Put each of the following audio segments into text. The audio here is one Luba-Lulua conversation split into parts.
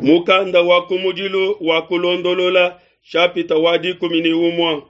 Mukanda wa kumudilu wa Kulondolola shapita wa 11.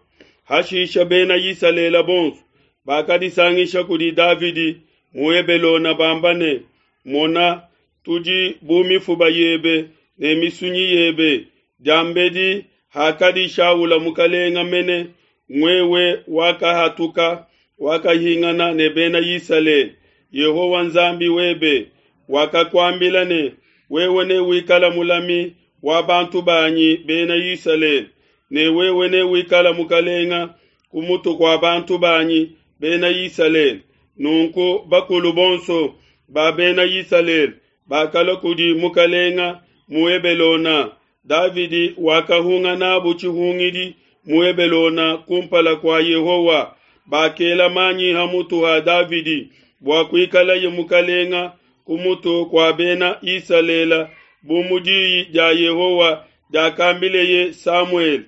Hashisha Bena Isalele bonso bakadisangisha kudi Davidi mu Hebelone bamba ne, Mona, tudi bu mifuba yebe ne misunyi yebe. Diambedi hakadi Shaula mukelenge mene, wewe wakahatuka, wakahingana ne Bena Isalele. Yehowa Nzambi webe wakakuambila ne, Wewe newikale mulami wa bantu banyi Bena Isalele, ne wewe newikale mukelenge ku mutu kua bantu banyi Bena Isalele. Nunku bakulu bonso ba Bena Isalele bakalua kudi mukelenge mu Hebelone. Davidi wakahunga n'abo tshihungidi mu Hebelone kumpala kua Yehowa. Bakela manyi ha mutu ha Davidi bua kuikalaye mukelenge ku mutu kua Bena Isalele, bu mu diyi dia Yehowa diakambileye Samuele.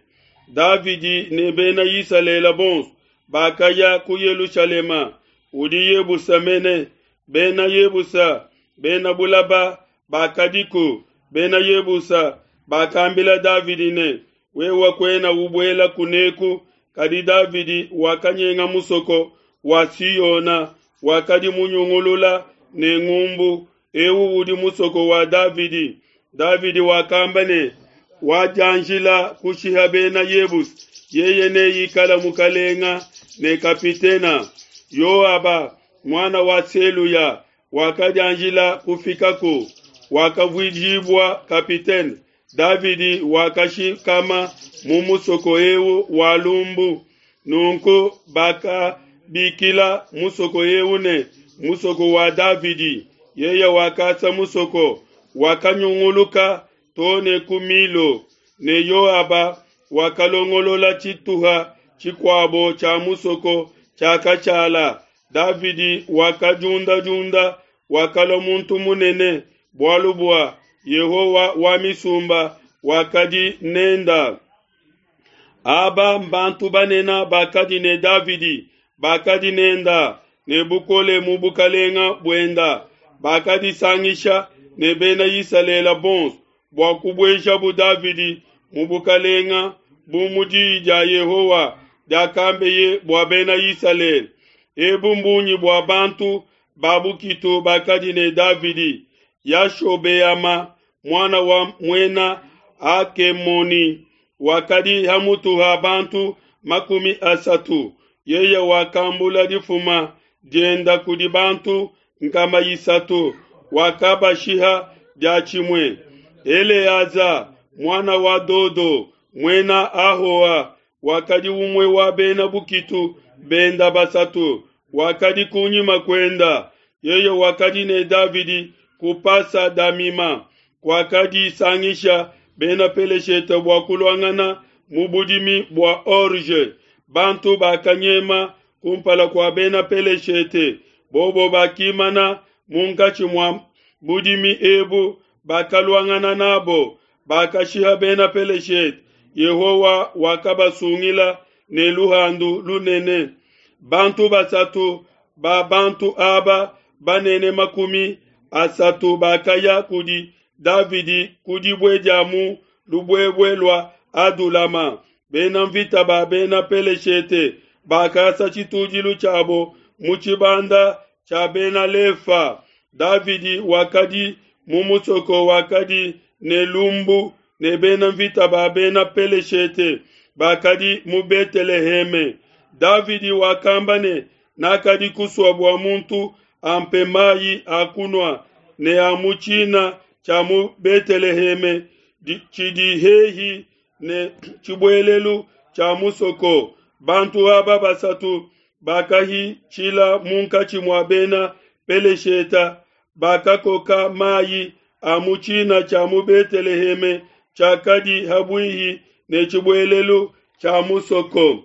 Davidi ne Bena Isalele bonso bakaya ku Yelushalema, udi Yebusa mene. Bena Yebusa, bena bulaba bakadiku. Bena Yebusa bakambila Davidi ne, Wewe kuena ubuela kuneku. Kadi Davidi wakanyenga musoko wa Siona wakadi munyungulula ne ngumbu, eu udi musoko wa Davidi. Davidi wakamba ne, Wadianjila kushiha Bena Yebusa, yeye neikale mukelenge ne kapitena. Yoaba, muana wa Seluya, wakadianjila kufikaku, wakavuijibua kapitene. Davidi wakashikama mu musoko eu wa lumbu. Nunku bakabikila musoko eu ne, Musoko wa Davidi. Yeye wakasa musoko, wakanyunguluka to ne ku Milo, ne Yoaba wakalongolola tshituha tshikuabo tshia musoko tshiakashala. Davidi wakadiundadiunda, wakalua muntu munene, bualu bua Yehowa wa misumba wakadi nenda. Aba mbantu banene bakadi ne Davidi, bakadi nenda ne bukole mu bukalenga buenda, bakadisangisha ne Bena Isalele bonso bua kubuejabu Davidi mu bukalenga bu mu diyi dia Yehowa diakambeye bua Bena Isalele. Ebu mbungi bua bantu ba bukitu bakadi ne Davidi: Yashobeama, muana wa muena Hakemoni, wakadi ha mutu ha bantu 30. Yeye wakambula difuma dienda kudi bantu 300, wakabashiha diatshimue. Eleaza, muana wa Dodo, muena Ahoa, wakadi umue wa bena bukitu benda basatu, wakadi kunyima kuenda. Yeye wakadi ne Davidi ku Pasa Damima, kuakadisangisha Bena Peleshete bua kuluangana mu budimi bua orge. Bantu bakanyema kumpala kua Bena Peleshete, bobo bakimana munkatshi mua budimi ebu, bakaluangana nabo, bakashiha Bena Peleshete. Yehowa wakabasungila ne luhandu lunene. Bantu basatu ba bantu aba banene 30 bakaya kudi Davidi ku dibue dia mu lubuebue lua Adulama. Bena mvita ba Bena Peleshete bakasa tshitudilu tshiabo mu tshibanda tshia Bena Lefa. Davidi wakadi mu musoko wakadi ne lumbu, ne bena mvita ba Bena Peleshete bakadi mu Beteleheme. Davidi wakamba ne, Nakadi kusua bua muntu ampe mayi a kunua ne a mu tshina tshia mu Beteleheme tshidi hehi ne tshibuelelu tshia musoko. Bantu aba basatu bakahitshila munkatshi mua Bena Pelesheta, bakakoka mayi a mu tshina tshia mu Beteleheme tshiakadi ha buihi ne tshibuelelu tshia musoko.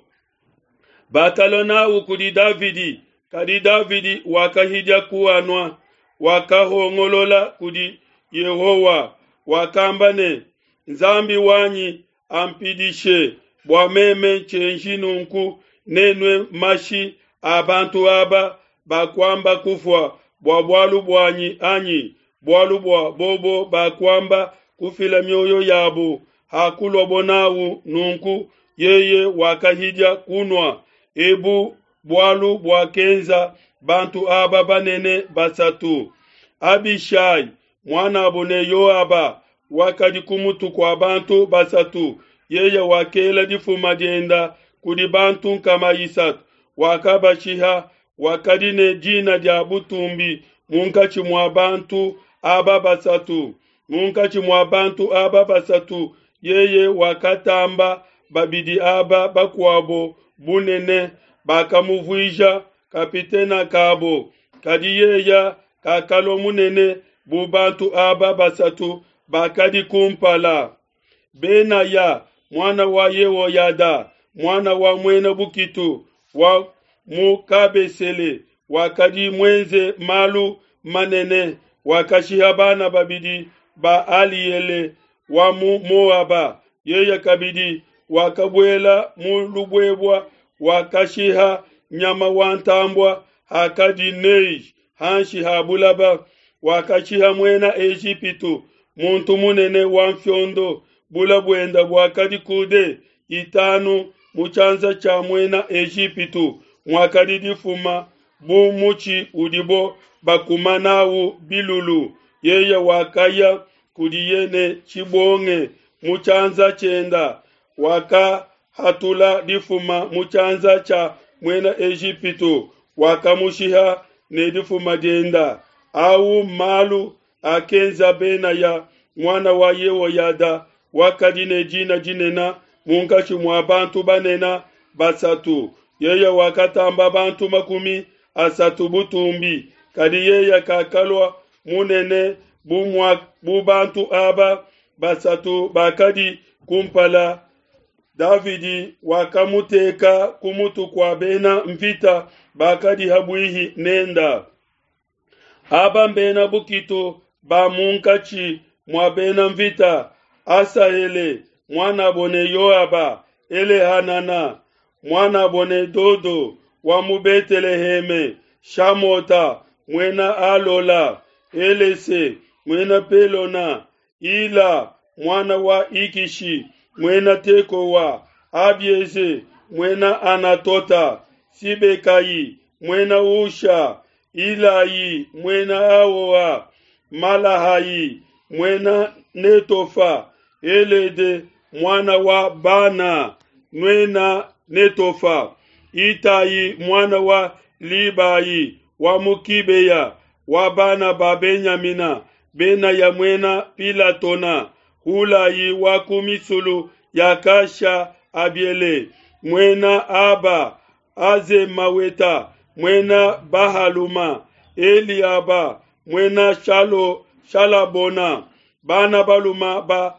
Bakalua n'au kudi Davidi, kadi Davidi wakahidia kuanua, wakahongolola kudi Yehowa, wakamba ne, Nzambi wanyi ampidishe bua meme tshienji nunku, nenue mashi a bantu aba bakuamba kufua bua bualu buanyi anyi? Bualu bua bobo bakuamba kufila mioyo yabo hakuluabo n'au nunku yeye wakahidia kunua. Ebu bualu buakenza bantu aba banene basatu. Abishai, muanabo ne Yoaba, wakadi ku mutu kua bantu basatu. Yeye wakela difuma dienda kudi bantu 300, wakabashiha. Wakadi ne dina dia butumbi munkatshi mua bantu aba basatu. Munkatshi mua bantu aba basatu yeye wakatamba babidi aba bakuabo bunene, bakamuvuija kapitena kabo. Kadi yeye kakalua munene bu bantu aba basatu bakadi kumpala. Benaya, muana wa Yehoyada, muana wa muena bukitu wa mu Kabesele, wakadi muenze malu manene, wakashiha bana babidi ba Aliele wa mu Moaba. Yeye kabidi wakabuela mu lubuebua, wakashiha nyama wa ntambua hakadi neige hanshi ha bulaba. Wakashiha muena Ejipitu, muntu munene wa mfiondo, bula buenda buakadi kude 5 mu tshianza tshia muena Ejipitu, muakadi difuma bu mutshi udibo bakuma nawu bilulu. Yeye wakaya kudiye ne tshibonge mu tshianza tshienda, wakahatula difuma mu tshianza tshia muena Ejipitu, wakamushiha ne difuma dienda. Au malu akenza Benaya muana wa Yehoyada, wakadi ne dina dinene munkatshi mua bantu banene basatu. Yeye wakatamba bantu 30 butumbi, kadi yeye kakalua munene bu bantu aba basatu bakadi kumpala. Davidi wakamuteka ku mutu kua bena mvita bakadi habuihi nenda. Aba mbena bukitu ba munkatshi mua bena mvita: Asahele muanabo ne Yoaba, Elehanana muanabo ne Dodo wa mu Beteleheme, Shamota muena Alola, Elese muena Pelona, Ila muana wa Ikishi muena Tekowa, Abieze muena Anatota, Sibekai muena Usha, Ilayi muena Aoa, Malahai muena Netofa, Elede muana wa Bana muena Netofa, Itai muana wa Libai wa Mukibeya wa bana ba Benyamina, Benaya muena Pilatona, Hulai wa ku misulu ya Kasha Abiele muena Aba, Azemaweta muena Bahaluma, Eliaba muena Shalabona, bana baluma ba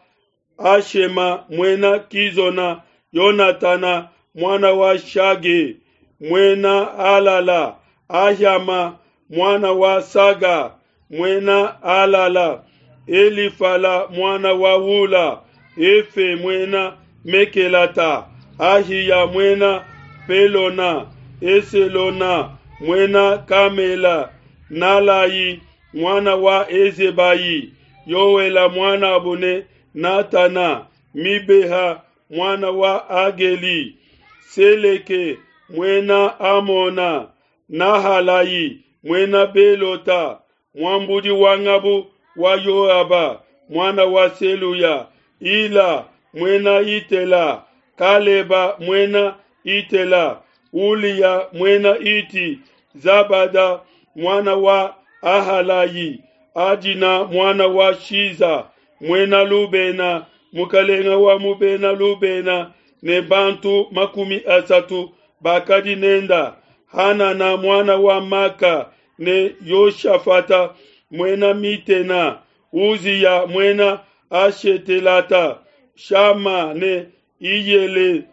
Ashema muena Kizona, Yonatana muana wa Shage muena Alala, Ahyama muana wa Saga muena Alala, Elifala muana wa Ula, Efe muena Mekelata, Ahiya muena Pelona, Eselona muena Kamela, Nalai muana wa Ezebai, Yoela muana abone Natana, Mibeha muana wa Ageli, Seleke muena Amona, Nahalai muena Belota, muambudi wa ngabu wa Yoaba muana wa Seluya, Ila muena Itela, Kaleba muena Itela, Ulia muena Iti, Zabada muana wa Ahalai, Adina muana wa Shiza muena Lubena, mukalenga wa mubena Lubena, ne bantu 30 bakadi nenda, Hanana muana wa Maka ne Yoshafata muena Mitena, Uzia muena Ashetelata, Shama ne Iyele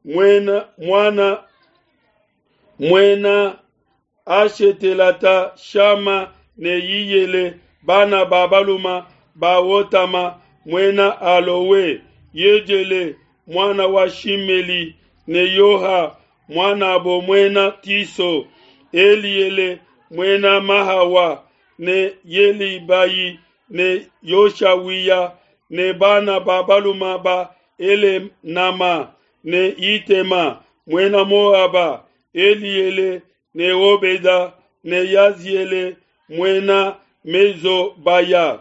muena muana muena Ashetelata, Shama ne Iyele bana ba baluma ba Otama muena Alowe, Yejele muana wa Shimeli ne Yoha muana abo muena Tiso, Eliele muena Mahawa ne Yelibai ne Yoshawiya ne bana ba baluma ba Elenama ne Yitema muena Moaba, Eliele ne Obeda ne Yaziele muena Mezobaya.